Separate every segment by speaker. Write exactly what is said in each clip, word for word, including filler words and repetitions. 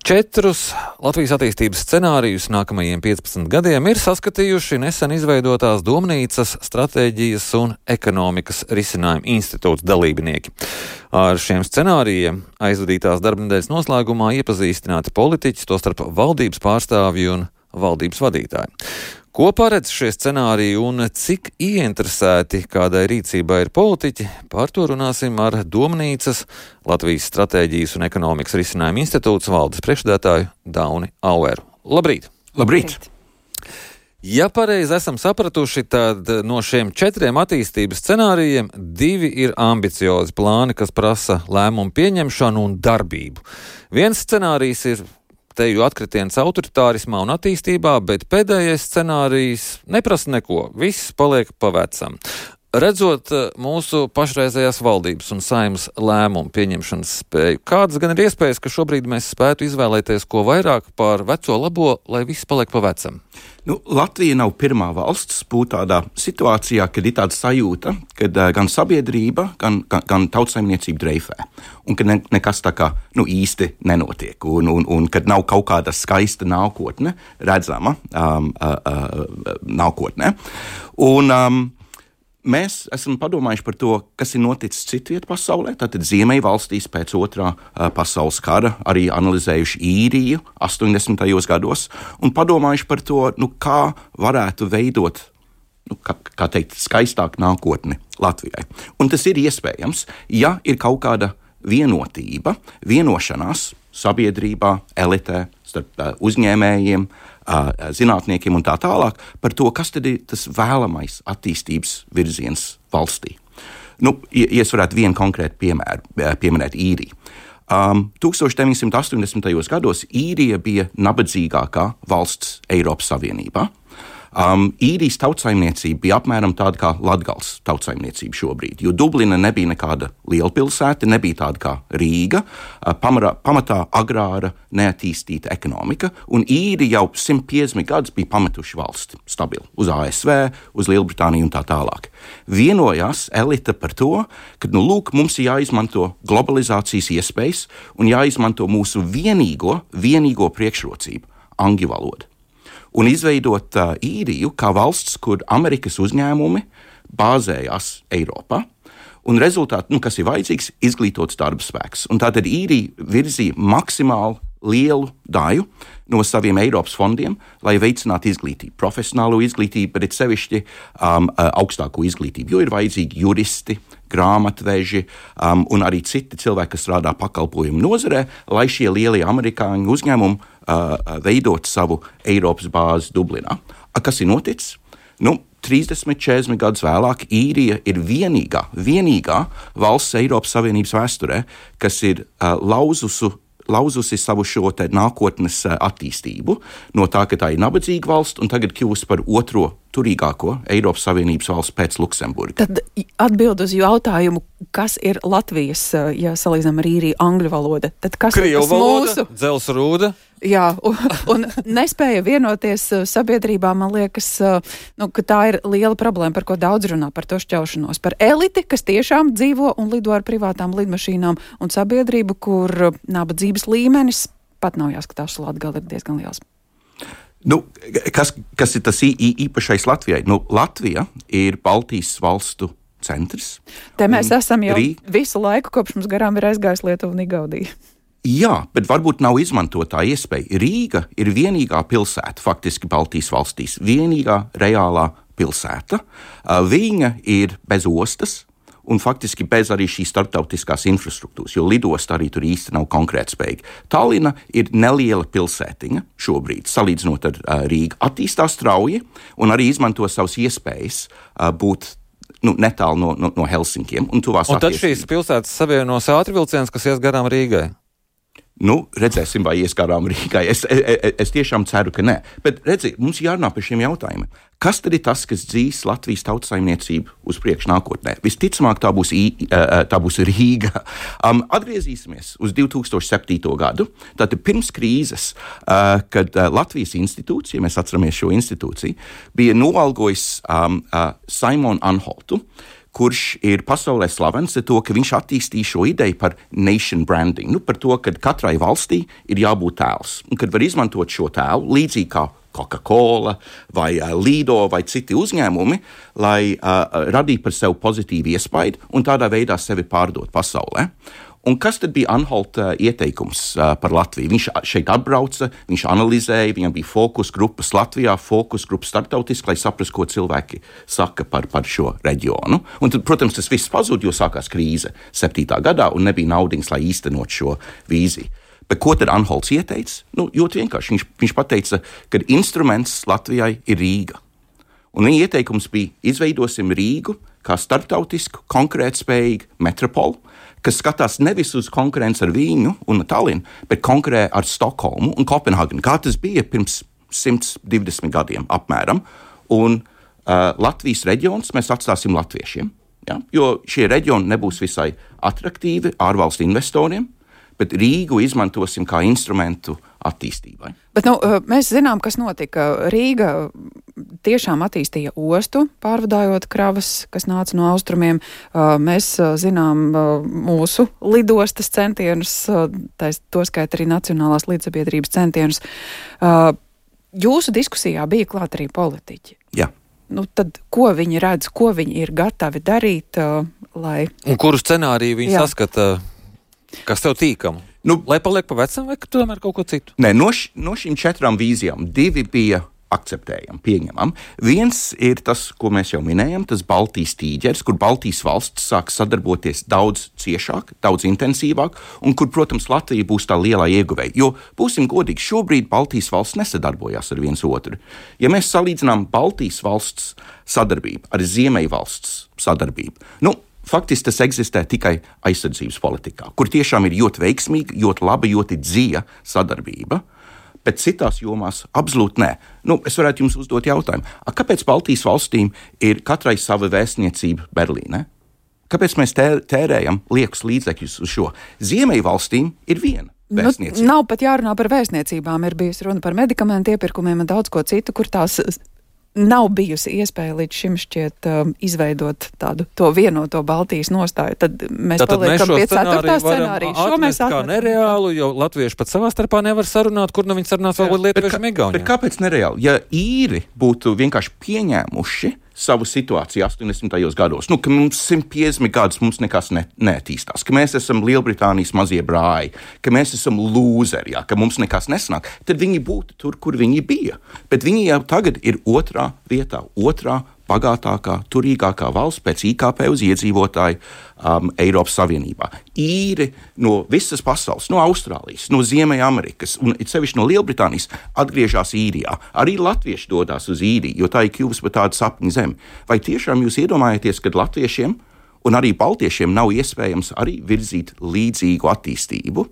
Speaker 1: Četrus Latvijas attīstības scenārijus nākamajiem piecpadsmit gadiem ir saskatījuši nesen izveidotās Domnīcas stratēģijas un ekonomikas risinājumu institūts dalībnieki. Ar šiem scenārijiem aizvadītās darbnedēļas noslēgumā iepazīstināti politiķi, tostarp valdības pārstāvji un valdības vadītāji. Ko paredz šie scenāriji un cik ieinteresēti kādai rīcībai ir politiķi, par to runāsim ar Domnīcas Latvijas stratēģijas un ekonomikas risinājumu institūts valdes priekšsēdētāju Dauni Aueru. Labrīt!
Speaker 2: Labrīt!
Speaker 1: Ja pareizi esam sapratuši, tad no šiem četriem attīstības scenārijiem divi ir ambiciozi plāni, kas prasa lēmumu pieņemšanu un darbību. Viens scenārijs ir teju atkritiens autoritārismā un attīstībā, bet pēdējais scenārijs neprasa neko, viss paliek pa vecam. Redzot mūsu pašreizējās valdības un saeimas lēmumu pieņemšanas spēju, kādas gan ir iespējas, ka šobrīd mēs spētu izvēlēties ko vairāk par veco labo, lai viss paliek pa vecam?
Speaker 2: Nu, Latvija nav pirmā valsts būt tādā situācijā, kad ir tāda sajūta, kad uh, gan sabiedrība, gan, gan, gan tautsaimniecība dreifē, un ka ne, nekas tā kā nu, īsti nenotiek, un, un, un kad nav kaut kāda skaista nākotne, redzama um, uh, uh, nākotne. Un, um, Mēs esam padomājuši par to, kas ir noticis citviet pasaulē, tātad Ziemeļvalstīs pēc otrā uh, pasaules kara, arī analizējuši Īriju astoņdesmitajos gados un padomājuši par to, nu, kā varētu veidot, nu, kā, kā teikt, skaistāku nākotni Latvijai. Un tas ir iespējams, ja ir kaut kāda vienotība, vienošanās sabiedrībā, elitē, starp uh, uzņēmējiem, uh, zinātniekiem un tā tālāk par to, kas tad ir tas vēlamais attīstības virziens valstī. Nu, ja es varētu vienu konkrētu piemēru pieminēt Īriju. Um, deviņdesmit astoņdesmitajos gados Īrija bija nabadzīgākā valsts Eiropas Savienībā. Um, Īrijas tautsaimniecība bija apmēram tāda kā Latgales tautsaimniecība šobrīd, jo Dublina nebija nekāda liela pilsēta, nebija tāda kā Rīga, uh, pamarā, pamatā agrāra, neattīstīta ekonomika, un Īrija jau simt piecdesmit gadus bija pametuši valsti stabili uz A S V, uz Lielbritāniju un tā tālāk. Vienojās elita par to, ka, nu, lūk, mums ir jāizmanto globalizācijas iespējas un jāizmanto mūsu vienīgo, vienīgo priekšrocību – angļu valoda. Un izveidot uh, Īriju kā valsts, kur Amerikas uzņēmumi bāzējās Eiropā, un rezultāti, nu, kas ir vajadzīgs, izglītots darba spēks. Un tātad Īrija virzīja maksimāli lielu daļu no saviem Eiropas fondiem, lai veicinātu izglītību, profesionālo izglītību, bet sevišķi um, augstāko izglītību, jo ir vajadzīgi juristi, grāmatveži um, un arī citi cilvēki, kas strādā pakalpojumu nozarē, lai šie lielie amerikāņu uzņēmumi uh, veidot savu Eiropas bāzi Dublinā. A, kas ir noticis? Nu, trīsdesmit, četrdesmit gadus vēlāk Īrija ir vienīgā, vienīgā valsts Eiropas Savienības vēsturē, kas ir uh, lauzusu lauzusi savu šo te nākotnes attīstību no tā, ka tā ir nabadzīga valsts un tagad kļūst par otro turīgāko Eiropas Savienības valsts pēc Luksemburga.
Speaker 3: Tad atbild uz jautājumu, kas ir Latvijas, ja salīdzinām ar Īriju, angļu valoda, tad kas
Speaker 1: Krievu
Speaker 3: ir tas
Speaker 1: valoda,
Speaker 3: mūsu?
Speaker 1: Dzels rūda.
Speaker 3: Jā, un, un nespēja vienoties sabiedrībā, man liekas, nu, ka tā ir liela problēma, par ko daudz runā, par to šķaušanos, par eliti, kas tiešām dzīvo un lido ar privātām lidmašīnām, un sabiedrību, kur nabadzības līmenis pat nav jāskatās, Latgale ir diezgan liels.
Speaker 2: Nu, kas, kas ir tas īpašais Latvijai? Nu, Latvija ir Baltijas valstu centrs.
Speaker 3: Te mēs esam jau
Speaker 2: Rī...
Speaker 3: visu laiku, kopš mums garām ir aizgājis Lietuva un Igaunija.
Speaker 2: Jā, bet varbūt nav izmantotā iespēja. Rīga ir vienīgā pilsēta, faktiski Baltijas valstīs, vienīgā reālā pilsēta. Viņa ir bez ostas un faktiski bez arī šīs starptautiskās infrastruktūras, jo lidosta arī tur īsti nav konkrētspējīga. Tallina ir neliela pilsētiņa šobrīd, salīdzinot ar uh, Rīgu. Attīstās strauji un arī izmanto savas iespējas uh, būt nu, netālu no, no, no Helsinkiem un tuvās
Speaker 1: Un tad
Speaker 2: attiecības.
Speaker 1: šīs pilsētas savienos ātrvilciens, kas ies garām Rīgai?
Speaker 2: Nu, redzēsim, vai ies garām Rīgai. Es, es, es tiešām ceru, ka nē. Bet redzi, mums jārunā par šiem jautājumiem. Kas tad ir tas, kas dzīs Latvijas tautsaimniecību uz priekšu nākotnē? Visticamāk, tā būs, I, tā būs Rīga. Um, atgriezīsimies uz divi tūkstoši septīto gadu. Tātad pirms krīzes, uh, kad uh, Latvijas institūts, ja mēs atceramies šo institūciju, bija noalgojis um, uh, Simonu Anholtu, kurš ir pasaulē slavens ar to, ka viņš attīstīja šo ideju par nation branding, nu, par to, ka katrai valstī ir jābūt tēls, un kad var izmantot šo tēlu līdzīgi kā Coca-Cola vai uh, Lido vai citi uzņēmumi, lai uh, radītu par sevi pozitīvu iespaidu un tādā veidā sevi pārdot pasaulē. Un kas tad bija Anholta uh, ieteikums uh, par Latviju? Viņš šeit atbrauca, viņš analizēja, viņam bija fokus grupas Latvijā, fokus grupas starptautiski, lai saprastu, ko cilvēki saka par, par šo reģionu. Un tad, protams, tas viss pazuda, jo sākās krīze septītā gadā un nebija naudiņas, lai īstenot šo vīziju. Bet ko tad Anholts ieteica? Nu, ļoti vienkārši. Viņš, viņš pateica, ka instruments Latvijai ir Rīga. Un viņa ieteikums bija izveidosim Rīgu kā starptautisku, konkrētspējīgu metropolu, kas skatās nevis uz konkurenci ar Vīņu un Tallinu, bet konkurē ar Stokholmu un Kopenhāgenu, kā tas bija pirms simt divdesmit gadiem apmēram. Un uh, Latvijas reģions mēs atstāsim latviešiem, ja? Jo šie reģioni nebūs visai atraktīvi ārvalstu investoriem, bet Rīgu izmantosim kā instrumentu attīstībai.
Speaker 3: Bet nu, mēs zinām, kas notika. Rīga tiešām attīstīja ostu, pārvadājot kravas, kas nāca no austrumiem. Mēs zinām mūsu lidostas centienus, to skait arī Nacionālās līdzsabiedrības centienus. Jūsu diskusijā bija klāt arī politiķi.
Speaker 2: Jā.
Speaker 3: Nu, tad, ko viņi redz, ko viņi ir gatavi darīt, lai...
Speaker 1: Un kuru scenāriju viņi Jā. saskata... Kas tev tīkam? Nu, lai paliek pa vecam vai tomēr kaut ko citu?
Speaker 2: Nē, no, š, no šīm četrām vīzijām divi bija akceptējami, pieņemam. Viens ir tas, ko mēs jau minējam, tas Baltijas tīģeris, kur Baltijas valsts sāk sadarboties daudz ciešāk, daudz intensīvāk, un kur, protams, Latvija būs tā lielā ieguvēja. Jo, būsim godīgi, šobrīd Baltijas valsts nesadarbojās ar viens otru. Ja mēs salīdzinām Baltijas valsts sadarbību ar Ziemeļvalsts sadarbību, nu, faktiski tas eksistē tikai aizsardzības politikā, kur tiešām ir ļoti veiksmīga, ļoti laba, ļoti dziļa sadarbība, bet citās jomās absolūti nē. Nu, es varētu jums uzdot jautājumu, a, kāpēc Baltijas valstīm ir katrai sava vēstniecība Berlīnē? Kāpēc mēs tērējam liekus līdzekļus uz šo? Ziemeļvalstīm ir viena. Nu,
Speaker 3: nav pat jārunā par vēstniecībām, ir bijusi runa par medikamentu iepirkumiem un daudz ko citu, kur tās... Nav bijusi iespēja līdz šim šķiet um, izveidot tādu to vienoto Baltijas nostāju. Tad mēs
Speaker 1: Tātad
Speaker 3: paliekam
Speaker 1: mēs
Speaker 3: pie ceturtā scenārija.
Speaker 1: Šo mēs atmest kā nereālu, jo latvieši pat savā starpā nevar sarunāt, kur nu viņi sarunās vēl lietuvieši Igaunijā.
Speaker 2: Bet kāpēc nereāli? Ja īri būtu vienkārši pieņēmuši savu situāciju astoņdesmitajos gados, nu, ka mums simt piecdesmit gadus mums nekas ne, neattīstās, ka mēs esam Lielbritānijas mazie brāļi, ka mēs esam lūzeri, ja, ka mums nekas nesanāk, tad viņi būtu tur, kur viņi bija. Bet viņi jau tagad ir otrā vietā, otrā bagātākā, turīgākā valsts pēc I K P uz iedzīvotāju um, Eiropas Savienībā. Īri no visas pasaules, no Austrālijas, no Ziemeļamerikas un sevišķi no Lielbritānijas atgriežas Īrijā. Arī latvieši dodas uz Īriju, jo tā ir kļuvusi par tādu sapņu zemi. Vai tiešām jūs iedomājaties, ka latviešiem un arī baltiešiem nav iespējams arī virzīt līdzīgu attīstību?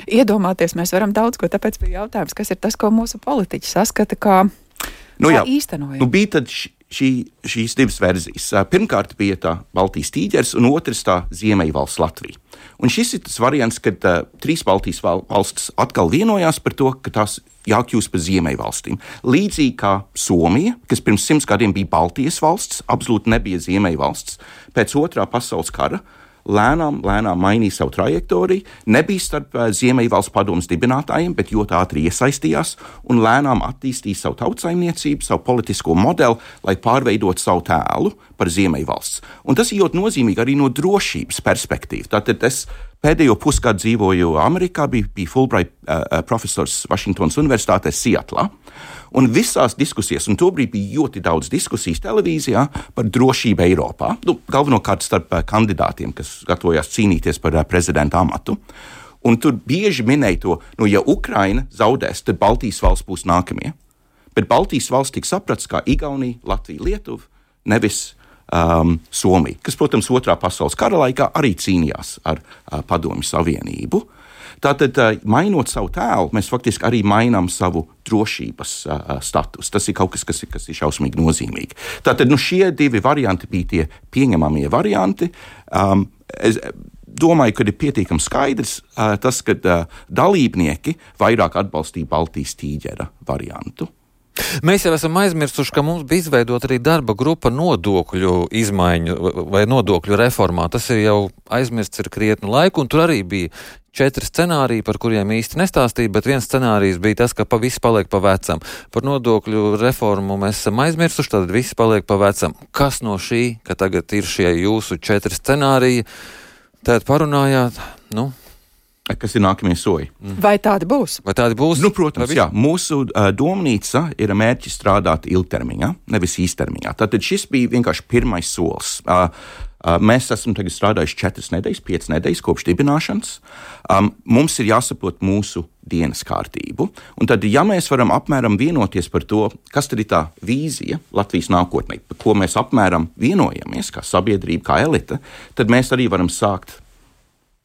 Speaker 3: Iedomāties mēs varam daudz ko, tāpēc bija jautājums, kas ir tas, ko mūsu politiķi saskata kā,
Speaker 2: nu,
Speaker 3: kā
Speaker 2: jā,
Speaker 3: īstenojam.
Speaker 2: Nu, bija tad š... Šī, šīs divas versijas. Pirmkārt bija tā Baltijas tīģeris un otrs tā Ziemeļvalsts Latvija. Un šis ir tas variants, kad uh, trīs Baltijas valstis atkal vienojās par to, ka tās jākļūst par Ziemeļvalstīm. Līdzīgi kā Somija, kas pirms simts gadiem bija Baltijas valsts, absolūti nebija Ziemeļvalsts, pēc otrā pasaules kara lēnām, lēnām mainīja savu trajektoriju, nebija starp uh, Ziemeļvalsts padomes dibinātājiem, bet ļoti ātri iesaistījās un lēnām attīstīja savu tautsaimniecību, savu politisko modeli, lai pārveidot savu tēlu par Ziemeļvalsts. Un tas ir ļoti nozīmīgi arī no drošības perspektīvas. Tātad es pēdējo pusgadu dzīvoju Amerikā, bija, bija Fulbright uh, profesors Vašingtonas Universitātē Sietlā. Un visās diskusijās, un tobrīd bija ļoti daudz diskusijas televīzijā par drošību Eiropā, nu, galvenokārt starp uh, kandidātiem, kas gatavojās cīnīties par uh, prezidenta amatu. Un tur bieži minēja to, nu, ja Ukraina zaudēs, tad Baltijas valsts būs nākamie. Bet Baltijas valsts tika saprasts kā Igaunija, Latvija, Lietuva, nevis um, Somija, kas, protams, otrā pasaules kara laikā arī cīnījās ar uh, Padomju Savienību. Tātad, mainot savu tēlu, mēs faktiski arī mainām savu drošības uh, statusu. Tas ir kaut kas, kas ir, kas ir šausmīgi nozīmīgi. Tātad, nu, šie divi varianti bija tie pieņemamie varianti. Um, es domāju, ka ir pietiekami skaidrs uh, tas, ka uh, dalībnieki vairāk atbalstīja Baltijas tīģera variantu.
Speaker 1: Mēs jau esam aizmirsuši, ka mums bija izveidota arī darba grupa nodokļu izmaiņu vai nodokļu reformā. Tas ir jau aizmirsts ir krietnu laiku, un tur arī bija četri scenāriji, par kuriem īsti nestāstīja, bet viens scenārijs bija tas, ka pa viss paliek pa vecam. Par nodokļu reformu mēs esam aizmirsuši, tad viss paliek pa vecam. Kas no šī, ka tagad ir šie jūsu četri scenāriji, tad parunājāt, nu...
Speaker 2: Kas ir nākamie soļi?
Speaker 3: Vai tādi būs?
Speaker 1: Vai tādi būs?
Speaker 2: Nu, protams, jā. Mūsu uh, domnīca ir mērķis strādāt ilgtermiņā, nevis īstermiņā. Tātad šis bija vienkārši pirmais solis. Uh, uh, mēs esam tagad strādājuši četras nedēļas, piecas nedēļas kopš dibināšanas. Um, mums ir jāsaprot mūsu dienas kārtību. Un tad, ja mēs varam apmēram vienoties par to, kas tad ir tā vīzija Latvijas nākotnē, par ko mēs apmēram vienojamies, kā sabiedrība, kā elite, tad mēs arī varam sākt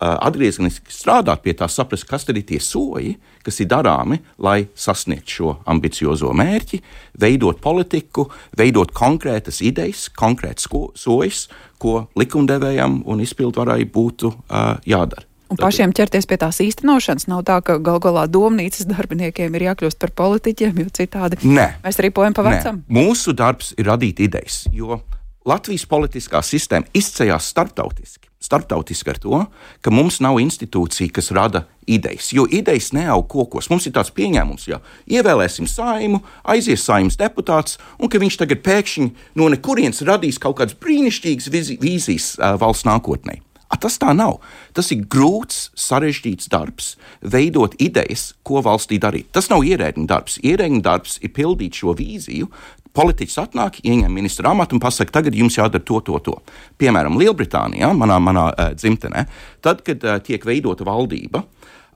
Speaker 2: atgriezeniski strādāt pie tā, saprast, kas tad ir tie soļi, kas ir darāmi, lai sasniegtu šo ambiciozo mērķi, veidot politiku, veidot konkrētas idejas, konkrētas soļus, ko likumdevējam un izpildvarai būtu uh, jādara.
Speaker 3: Un pašiem ķerties pie tās īstenošanas nav tā, ka gal galā domnīcas darbiniekiem ir jākļūst par politiķiem, jo citādi
Speaker 2: Nē.
Speaker 3: mēs ripojam pa vecam.
Speaker 2: Nē. Mūsu darbs ir radīt idejas, jo Latvijas politiskā sistēma izceļās starptautiski. Starptautiski ar to, ka mums nav institūcija, kas rada idejas, jo idejas neaug kokos. Mums ir tāds pieņēmums, ja ievēlēsim Saimu, aizies Saimas deputāts, un ka viņš tagad pēkšņi no nekurienes radīs kaut kādas brīnišķīgas vīzijas uh, valsts nākotnē. A, tas tā nav. Tas ir grūts, sarežģīts darbs, veidot idejas, ko valstī darīt. Tas nav ierēdņu darbs. Ierēdņu darbs ir pildīt šo vīziju. Politiķis atnāk, ieņem ministra amatu un pasaka, tagad jums jādara to, to, to. Piemēram, Lielbritānijā, manā, manā uh, dzimtenē, tad, kad uh, tiek veidota valdība,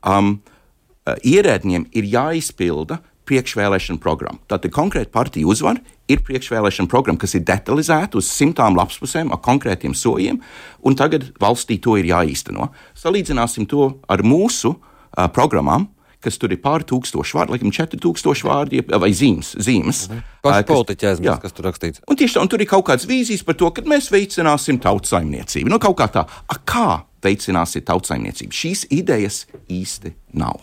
Speaker 2: um, uh, ierēdņiem ir jāizpilda priekšvēlēšana programma. Tātad konkrēta partija uzvar, ir priekšvēlēšana programma, kas ir detalizēta uz simtām lapspusēm ar konkrētiem soļiem, un tagad valstī to ir jāīsteno. Salīdzināsim to ar mūsu uh, programmām, kas tur ir pār tūkstoši vārdi, laikam četri tūkstoši vārdi vai zīmes. zīmes
Speaker 1: mhm. Paši politiķi aizmirst, kas tur rakstīts.
Speaker 2: Un tieši tā, un tur ir kaut kādas vīzijas par to, ka mēs veicināsim tautsaimniecību. Nu, kaut kā tā, a, kā veicināsiet tautsaimniecību? Šīs idejas īsti nav.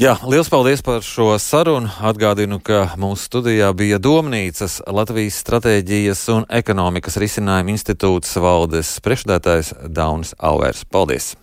Speaker 1: Jā, liels paldies par šo sarunu. Atgādinu, ka mūsu studijā bija Domnīcas Latvijas stratēģijas un ekonomikas risinājuma institūts valdes priekšsēdētājs Daunis Alvērs. Paldies!